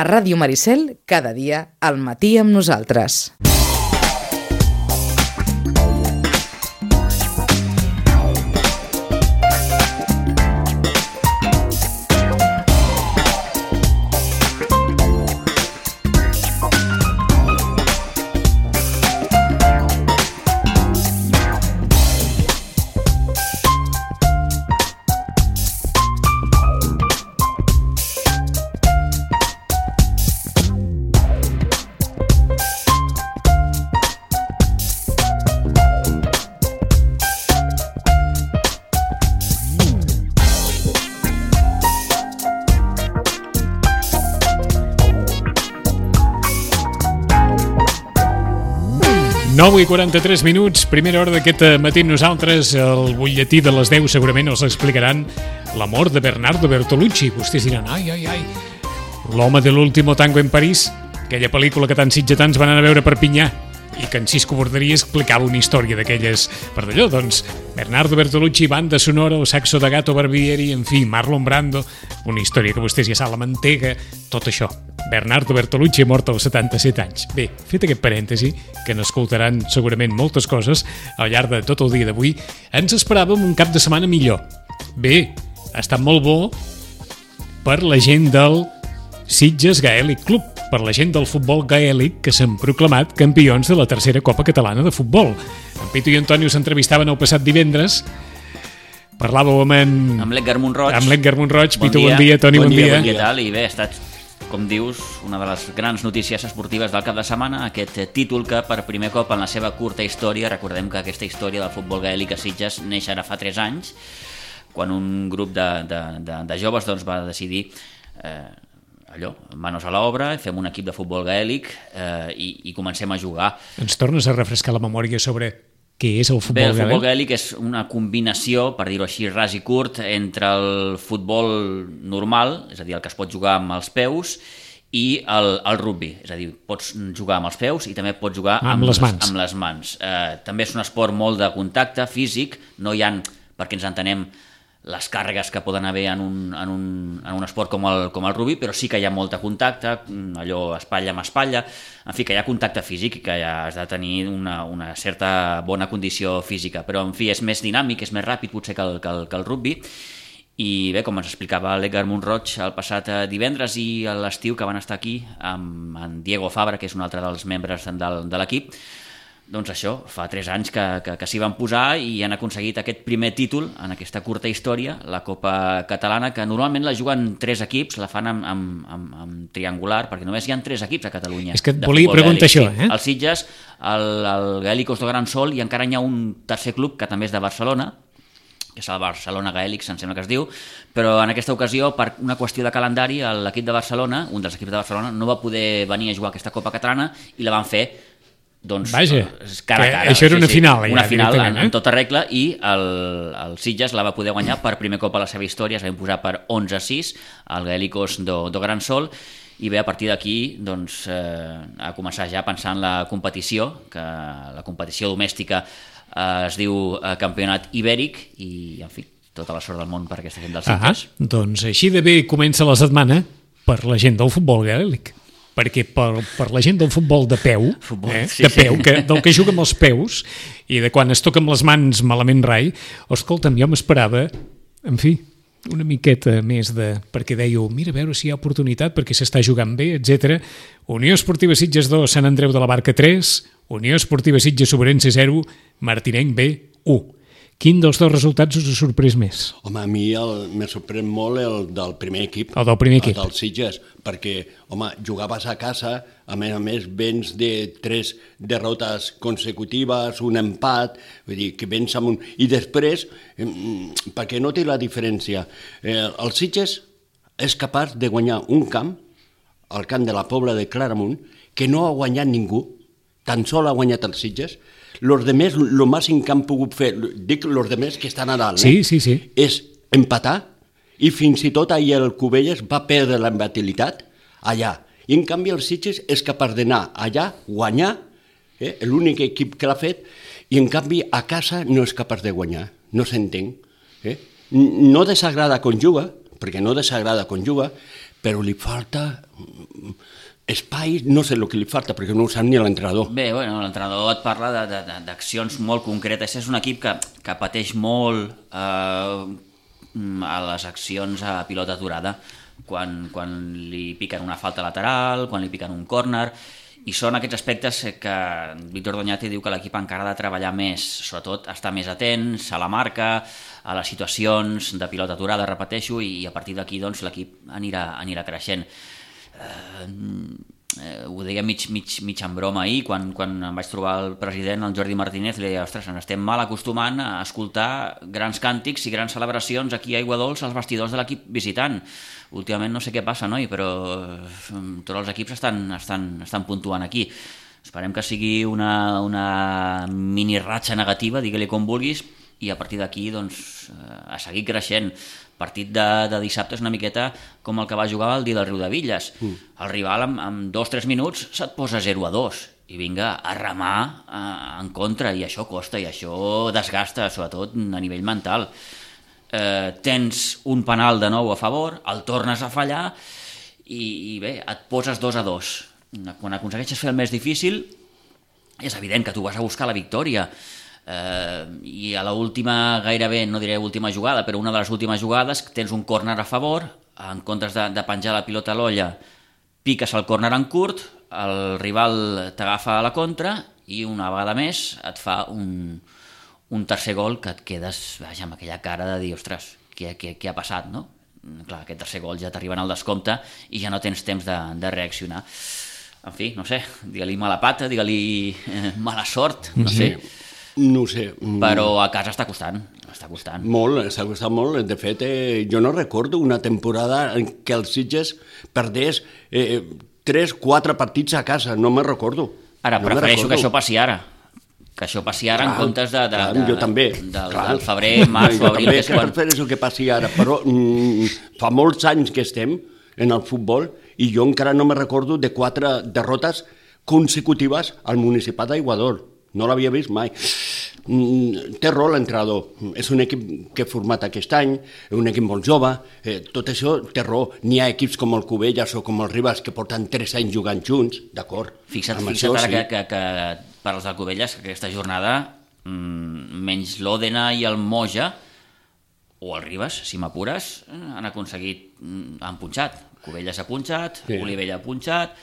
A Ràdio Maricel, cada dia al matí amb nosaltres. I 43 minuts, primera hora d'aquest matí nosaltres, el butlletí de les 10 segurament els explicaran l'amor de Bernardo Bertolucci. Vostès diran, ai, l'home de l'último tango en París, aquella pel·lícula que tants sitgetans van anar a veure a Perpinyà i que en Cisco Borderia explicava una història d'aquelles per d'allò. Doncs Bernardo Bertolucci, banda sonora, el saxo de Gato Barbieri, en fi, Marlon Brando, una història que vostès ja saben, la mantega, tot això. Bernardo Bertolucci mort als 77 anys. Bé, fet aquest parèntesi, que n'escoltaran segurament moltes coses al llarg de tot el dia d'avui, ens esperàvem un cap de setmana millor. Bé, ha estat molt bo per la gent del Sitges Gaèlic Club, per la gent del futbol gaèlic que s'han proclamat campions de la tercera Copa Catalana de Futbol. En Pitu i Antonio s'entrevistaven el passat divendres. Parlàveu amb l'Edgar Montroig. Amb l'Edgar Montroig. Pitu, bon dia. Toni, bon dia. Què tal? I bé, ha estat, com dius, una de les grans notícies esportives del cap de setmana, aquest títol que per primer cop en la seva curta història, recordem que aquesta història del futbol gaèlic a Sitges neix ara fa 3 anys, quan un grup de joves doncs, va decidir manos a l'obra, fem un equip de futbol gaèlic i comencem a jugar. Ens tornes a refrescar la memòria sobre què és el futbol gaèlic? Bé, el futbol gaèlic és una combinació, per dir-ho així, ras i curt, entre el futbol normal, és a dir, el que es pot jugar amb els peus, i el rugby, és a dir, pots jugar amb els peus i també pots jugar amb les mans. També és un esport molt de contacte físic, no hi ha, perquè ens entenem, les càrregues que poden haver en un esport com el rugby, però sí que hi ha molt contacte, allò espatlla amb espatlla, en fi, que hi ha contacte físic i que ja has de tenir una certa bona condició física, però en fi, és més dinàmic, és més ràpid potser que el rugby. I bé, com ens explicava l'Edgar Montroig el passat divendres i a l'estiu que van estar aquí amb en Diego Fabra, que és un altre dels membres de l'equip, doncs això, fa 3 anys que s'hi van posar i han aconseguit aquest primer títol en aquesta curta història, la Copa Catalana, que normalment la juguen 3 equips, la fan amb triangular, perquè només hi ha 3 equips a Catalunya. És que et volia preguntar això, El Sitges, el Gaèlicos de Gran Sol, i encara hi ha un tercer club que també és de Barcelona, que és el Barcelona Gaèlics, em sembla que es diu, però en aquesta ocasió, per una qüestió de calendari, l'equip de Barcelona, un dels equips de Barcelona, no va poder venir a jugar aquesta Copa Catalana i la van fer doncs, vaja, cara a cara. Això era una final. Una final en tota regla, i el Sitges la va poder guanyar per primer cop a la seva història, es va imposar per 11-6 al Gaèlicos do Gran Sol, i bé, a partir d'aquí doncs, a començar ja a pensar en la competició, que la competició domèstica es diu Campionat Ibèric, i en fi, tota la sort del món per aquesta gent del Sitges. Doncs així de bé comença la setmana per la gent del futbol gaèlic. Perquè per la gent del futbol de peu, del que juga amb els peus i de quan es toca amb les mans malament rai, escolta'm, jo m'esperava, en fi, una miqueta més perquè dèieu, mira, a veure si hi ha oportunitat perquè s'està jugant bé, etc. Unió Esportiva Sitges 2, Sant Andreu de la Barca 3, Unió Esportiva Sitges Sobrense 0, Martinenc B 1. Quin dels dos resultats us ha sorprès més? Home, a mi me sorprèn molt el del primer equip. El del primer equip. El del Sitges, perquè, home, jugaves a casa, a més vens de 3 derrotes consecutives, un empat, vull dir, que vens amb un... I després, perquè no té la diferència, el Sitges és capaç de guanyar un camp, el camp de la Pobla de Claramunt, que no ha guanyat ningú, tan sol ha guanyat els Sitges. Los demés, lo màxim que han pogut fer, dic los demés que estan a dalt, sí. És empatar, i fins i tot ahir el Cubelles va perdre la imbatibilitat allà. I en canvi el Sitges és capaç d'anar allà, guanyar, l'únic equip que l'ha fet, i en canvi a casa no és capaç de guanyar, no s'entén. No desagrada quan juga, perquè no desagrada quan juga, però li falta espai, no sé el que li falta, perquè no ho sap ni l'entrenador. Bé, bueno, l'entrenador et parla d'accions molt concretes. És un equip que pateix molt a les accions a pilota aturada, quan li piquen una falta lateral, quan li piquen un córner, i són aquests aspectes que Víctor Doñate diu que l'equip encara ha de treballar més, sobretot estar més atents a la marca, a les situacions de pilota aturada, repeteixo, i a partir d'aquí doncs, l'equip anirà creixent. Ho deia mig en broma ahir, quan em vaig trobar el president, el Jordi Martínez, li deia, ostres, ens estem mal acostumant a escoltar grans càntics i grans celebracions aquí a Aiguadols als vestidors de l'equip visitant. Últimament no sé què passa, noi, però tots els equips estan puntuant aquí. Esperem que sigui una mini ratxa negativa, digue-li com vulguis, i a partir d'aquí doncs, a seguir creixent. El partit de dissabte és una miqueta com el que va jugar el dia del Riudevilles. El rival en 2-3 minuts se't posa 0-2 i vinga a remar en contra, i això costa, i això desgasta, sobretot a nivell mental. Tens un penal de nou a favor, el tornes a fallar i bé, et poses 2-2. Quan aconsegueixes fer el més difícil és evident que tu vas a buscar la victòria, i a l'última, gairebé, no diré última jugada, però una de les últimes jugades, tens un córner a favor, en comptes de penjar la pilota a l'olla, piques el córner en curt, el rival t'agafa a la contra i una vegada més et fa un tercer gol que et quedes amb aquella cara de dir, ostres, què ha passat, no? Clar, aquest tercer gol ja t'arriba en el descompte i ja no tens temps de reaccionar. En fi, no sé, digue-li mala pata, digue-li mala sort, no sé. No ho sé. Però a casa està costant. Molt, està costant molt. De fet, jo no recordo una temporada en què els Sitges perdés 3-4 partits a casa, no me'n recordo. Ara, prefereixo que això passi ara. Que això passi ara en comptes jo també. Del febrer, març o abril. Jo també prefereixo que passi ara, però fa molts anys que estem en el futbol i jo encara no me recordo de 4 derrotes consecutives al Municipal d'Aiguadols. No l'havia vist mai. Té raó l'entrenador. És un equip que he format aquest any, un equip molt jove, tot això té raó. N'hi ha equips com el Cubelles o com el Ribas que porten 3 anys jugant junts, d'acord. Fixa't ara que per als del Cubelles, que aquesta jornada, menys l'Òdena i el Moja, o el Ribas, si m'apures, han punxat. Cubelles ha punxat, Olivella ha punxat,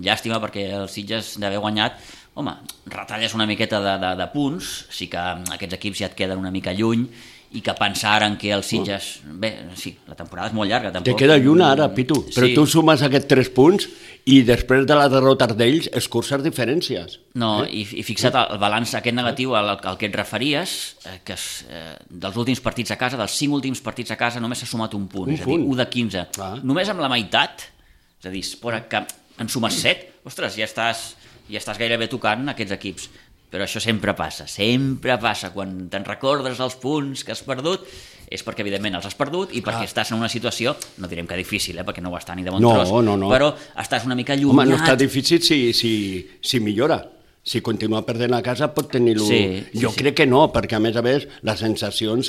llàstima perquè els Sitges d'haver guanyat, home, retalles una miqueta de punts, sí que aquests equips ja et queden una mica lluny i que pensar en què els Sitges... Bé, sí, la temporada és molt llarga. Te queda lluny ara, Pitu, però tu sumes aquests 3 punts i després de la derrota d'ells escurces diferències. No, i fixa't el balanç aquest negatiu al que et referies, que dels últims partits a casa, dels 5 últims partits a casa, només s'ha sumat un punt, és a dir, 1 de 15. Només amb la meitat, és a dir, que en sumes 7, ostres, ja estàs gairebé tocant aquests equips. Però això sempre passa, quan te'n recordes els punts que has perdut, és perquè evidentment els has perdut i perquè estàs en una situació, no direm que difícil, perquè no ho està ni de bon tros, però estàs una mica allunyat. Home, no està difícil si millora. Si continua perdent a casa pot tenir-lo... Jo crec que no, perquè a més les sensacions...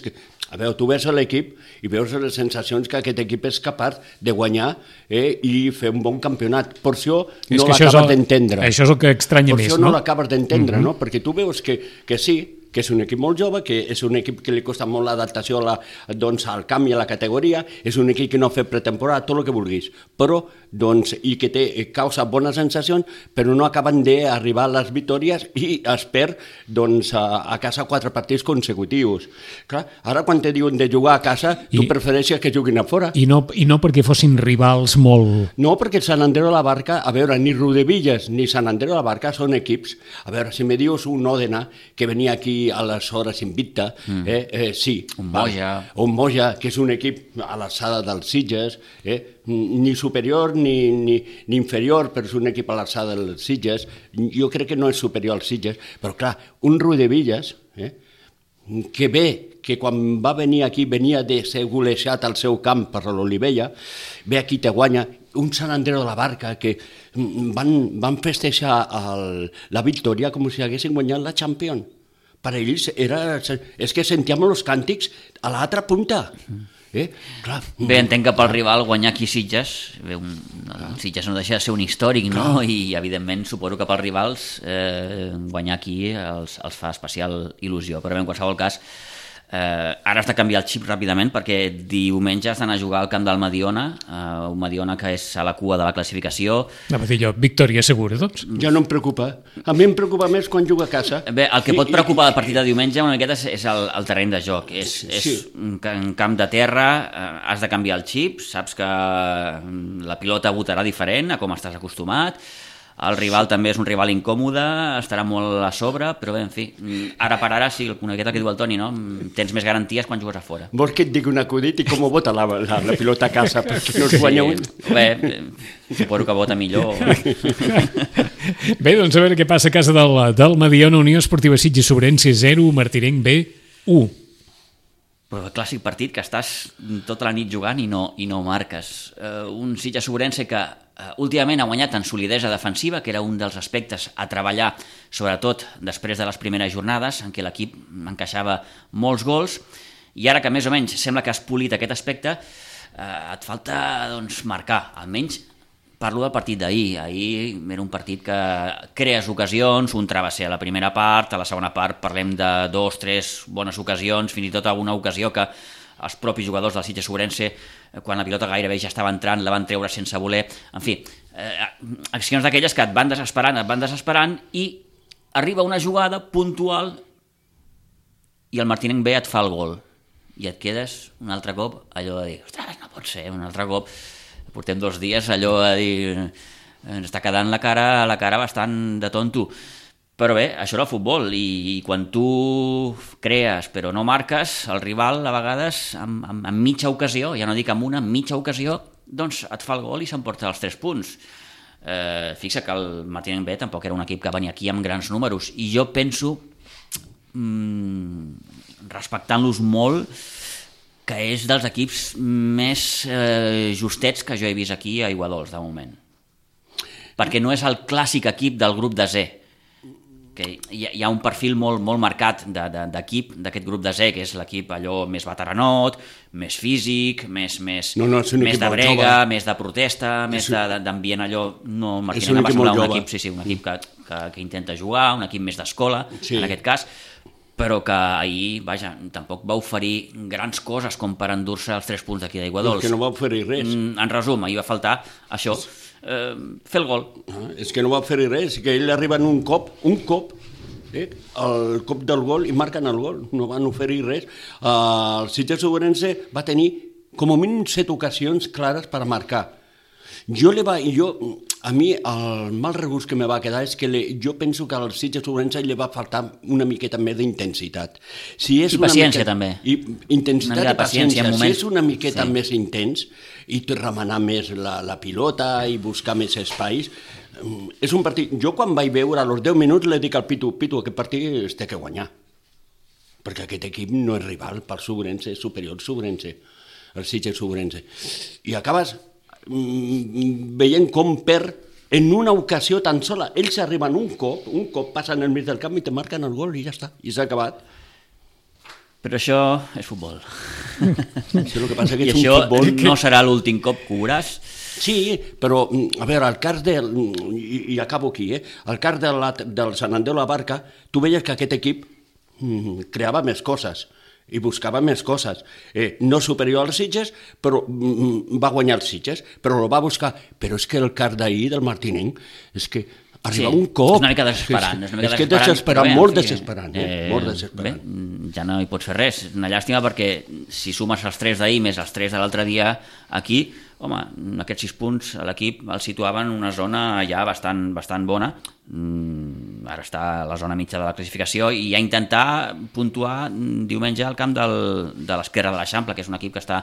A veure, tu veus l'equip i veus les sensacions que aquest equip és capaç de guanyar i fer un bon campionat. Per això no l'acabes d'entendre. Això és el que estranya més, no? Per això no l'acabes d'entendre, no? Perquè tu veus que sí, que és un equip molt jove, que és un equip que li costa molt l'adaptació al canvi a la categoria, és un equip que no ha fet pretemporada, tot el que vulguis, però i que causa bones sensacions, però no acaben d'arribar a les victòries i es perd a casa 4 partits consecutius. Clar, ara quan te diuen de jugar a casa, tu prefereixes que juguin a fora. I no perquè fossin rivals molt... No, perquè Sant Andreu de la Barca, a veure, ni Riudevilles ni Sant Andreu de la Barca són equips. A veure, si me dius un Òdena que venia aquí a les hores invicta, sí. Un Moja, que és un equip a l'alçada dels Sitges, ni superior ni inferior, però és un equip a l'alçada dels Sitges. Jo crec que no és superior als Sitges, però clar, un Riudevilles, que quan va venir aquí venia de ser golejat al seu camp per l'Olivella, ve aquí te guanya, un Sant Andreu de la Barca que van festejar la victòria com si haguessin guanyat la Champions. Per ells és que sentíem els càntics a l'altra punta. Clar. Bé, entenc que pel rival guanyar aquí Sitges, Sitges no deixa de ser un històric, no? I evidentment suposo que pels rivals guanyar aquí els fa especial il·lusió, però bé, en qualsevol cas ara has de canviar el xip ràpidament perquè diumenge has d'anar a jugar al camp del Mediona, un Mediona que és a la cua de la classificació. Anava a dir jo, victòria segura, doncs. Ja no em preocupa. A mi em preocupa més quan juga a casa. Bé, el que pot preocupar del partit de diumenge una miqueta és el terreny de joc. És un camp de terra, has de canviar el xip, saps que la pilota botarà diferent a com estàs acostumat, el rival també és un rival incòmode, estarà molt a sobre, però bé, en fi, ara per ara, sí, una miqueta que diu el Toni, no? Tens més garanties quan jugues a fora. Vols que et digui un acudit i com vota la pilota a casa perquè no es guanya un? Bé, suposo que vota millor. Bé, doncs a veure què passa a casa del Mediona. Unió Esportiva Sitges Sobrense 0, Martinenc B 1. Però el clàssic partit que estàs tota la nit jugant i no marques. Un Sitges Sobrense que últimament ha guanyat en solidesa defensiva, que era un dels aspectes a treballar, sobretot després de les primeres jornades, en què l'equip encaixava molts gols, i ara que més o menys sembla que has polit aquest aspecte, et falta doncs, marcar, almenys parlo del partit d'ahir. Ahir era un partit que crees ocasions, un travesser a la primera part, a la segona part parlem de 2, 3 bones ocasions, fins i tot alguna ocasió que els propis jugadors del Sitges Sobrense, quan la pilota gairebé ja estava entrant, la van treure sense voler. En fi, accions d'aquelles que et van desesperant i arriba una jugada puntual i el Martinenc B et fa el gol. I et quedes un altre cop allò de dir, ostres, no pot ser, un altre cop. Portem 2 dies allò de dir, ens està quedant la cara bastant de tonto. Però bé, això era el futbol, i quan tu crees però no marques, el rival a vegades amb mitja ocasió, ja no dic amb una, mitja ocasió, doncs et fa el gol i s'emporta els 3 punts. Fixa que el Martinenc B tampoc era un equip que venia aquí amb grans números, i jo penso, respectant-los molt, que és dels equips més justets que jo he vist aquí a Aiguadols, de moment. Perquè no és el clàssic equip del grup de Z, que hi ha un perfil molt marcat d'equip d'aquest grup de Z, que és l'equip allò més veteranot, més físic, més de brega, més de protesta, més d'ambient allò. No, Martinenc va semblar un equip, un equip que intenta jugar, un equip més d'escola, en aquest cas, però que ahir, vaja, tampoc va oferir grans coses com per endur-se els 3 punts d'aquí d'Aiguadols. Que no va oferir res. En resum, ahir va faltar això, fer el gol. És que no va oferir res, que ell arriba en un cop, el cop del gol, i marquen el gol, no van oferir res. El Sitges Sobrense va tenir com a mínim 7 ocasions clares per marcar. A mi el mal regust que me va quedar és que jo penso que al Sitges Sobrense li va faltar una miqueta més d'intensitat. I paciència també. Intensitat i paciència. Si és una miqueta més intens i remenar més la pilota i buscar més espais, és un partit. Jo quan vaig veure als 10 minuts li dic al Pitu, aquest partit es té que guanyar, perquè aquest equip no és rival pel Sobrense, és superior al Sobrense, el Sitges Sobrense. I acabes veient com en una ocasió tan sola. Ells arriben un cop passen al mig del camp i te marquen el gol i ja està, i s'ha acabat. Però això és futbol. Això el que passa que i és això un futbol... no serà l'últim cop que ho veuràs. Sí, però, a veure, al cas i acabo aquí, al cas del Sant Andreu la Barca, tu veies que aquest equip creava més coses i buscava més coses. No superior als Sitges, però va guanyar els Sitges, però el va buscar. Però és que el cas d'ahir del Martinenc és que arriba un cop... És una mica desesperant. És que desesperant, molt desesperant. Bé, ja no hi pots fer res. És una llàstima perquè si sumes els 3 d'ahir més els 3 de l'altre dia aquí, home, aquests 6 punts l'equip el situaven en una zona ja bastant bona. Ara està a la zona mitja de la classificació i a intentar puntuar diumenge al camp de l'Esquerra de l'Eixample, que és un equip que està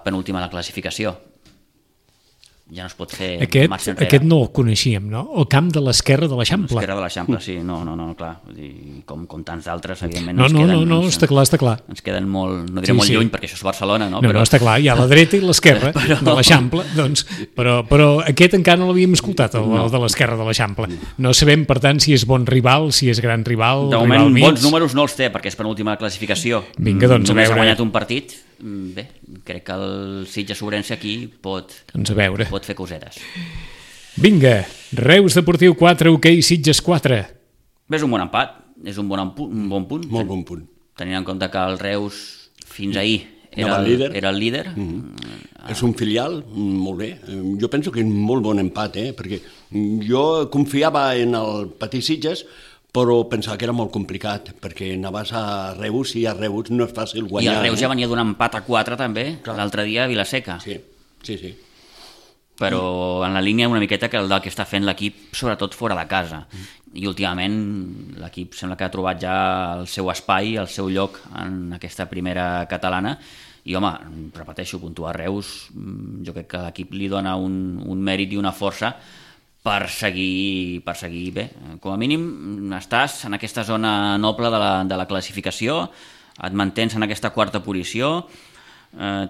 penúltim a la classificació. Ja no es pot fer marxa enrere. Aquest no el coneixíem, no? El camp de l'Esquerra de l'Eixample. L'Esquerra de l'Eixample, sí. No, clar. Com tants d'altres, evidentment. No, està clar. Ens queden molt, no diré molt lluny, perquè això és Barcelona, no? No, està clar, hi ha la dreta i l'esquerra de l'Eixample, doncs, però aquest encara no l'havíem escoltat, el de l'Esquerra de l'Eixample. No sabem, per tant, si és bon rival, si és gran rival, de moment, bons números no els té, perquè és penúltima classificació. Vinga, doncs, a veure. Només ha guanyat un partit, bé, crec que el Sitges-Ourense aquí pot fer cosetes. Vinga, Reus Deportiu 4, hoquei Sitges 4. Bé, és un bon empat, és un bon punt. Molt bon punt. Tenint en compte que el Reus fins ahir era el líder. És un filial, molt bé. Jo penso que és un molt bon empat, perquè jo confiava en el Patí Sitges, però pensava que era molt complicat, perquè anaves a Reus i a Reus no és fàcil guanyar. I el Reus ja venia d'un empat a 4 també, l'altre dia a Vilaseca. Sí. Però en la línia una miqueta que el del que està fent l'equip, sobretot fora de casa. I últimament l'equip sembla que ha trobat ja el seu espai, el seu lloc en aquesta primera catalana. I home, repeteixo, puntuar Reus, jo crec que l'equip li dona un mèrit i una força per seguir bé. Com a mínim estàs en aquesta zona noble de la classificació, et mantens en aquesta quarta posició,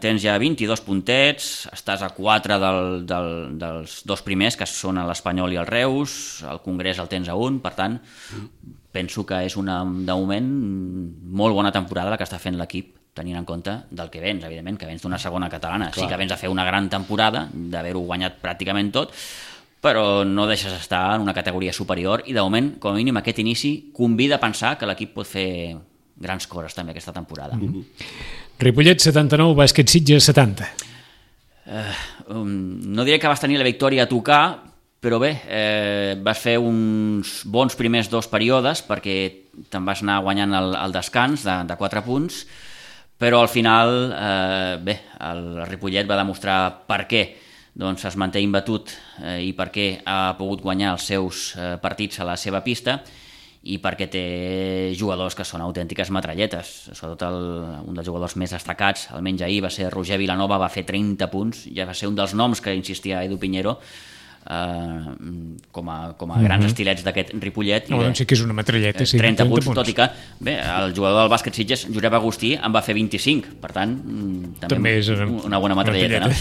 tens ja 22 puntets, estàs a 4 dels dos primers, que són l'Espanyol i el Reus, el Congrés el tens a 1, per tant, penso que és de moment molt bona temporada la que està fent l'equip, tenint en compte del que vens, evidentment, que vens d'una segona catalana. Sí que vens a fer una gran temporada, d'haver-ho guanyat pràcticament tot, però no deixes estar en una categoria superior i de moment, com a mínim, aquest inici convida a pensar que l'equip pot fer grans coses també aquesta temporada. Ripollet 79, Bàsquet Sitges 70. No diré que vas tenir la victòria a tocar, però bé, vas fer uns bons primers 2 períodes perquè te'n vas anar guanyant el descans de 4 punts, però al final, bé, el Ripollet va demostrar per què doncs es manté imbatut i perquè ha pogut guanyar els seus partits a la seva pista i perquè té jugadors que són autèntiques metralletes. Sobretot un dels jugadors més destacats, almenys ahir, va ser Roger Vilanova, va fer 30 punts, ja va ser un dels noms que insistia Edu Piñero com a grans estilets d'aquest Ripollet. Sí que és una metralleta, sí. 30 punts, tot i que bé, el jugador del bàsquet Sitges, Josep Agustí, en va fer 25, per tant, també és una bona metralleta. No?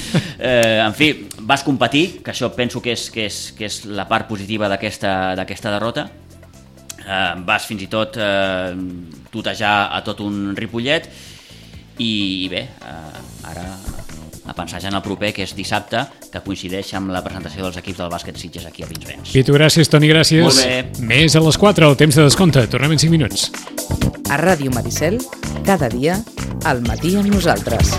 En fi, vas competir, que això penso que és la part positiva d'aquesta derrota. Vas fins i tot tutejar a tot un Ripollet i bé, ara a pensar ja en el proper, que és dissabte, que coincideix amb la presentació dels equips del bàsquet Sitges aquí a Pinsbens. Pitu, gràcies, Toni, gràcies. Molt bé. Més a les 4, el temps de descompte. Tornem en 5 minuts. A Ràdio Maricel, cada dia, al matí amb nosaltres.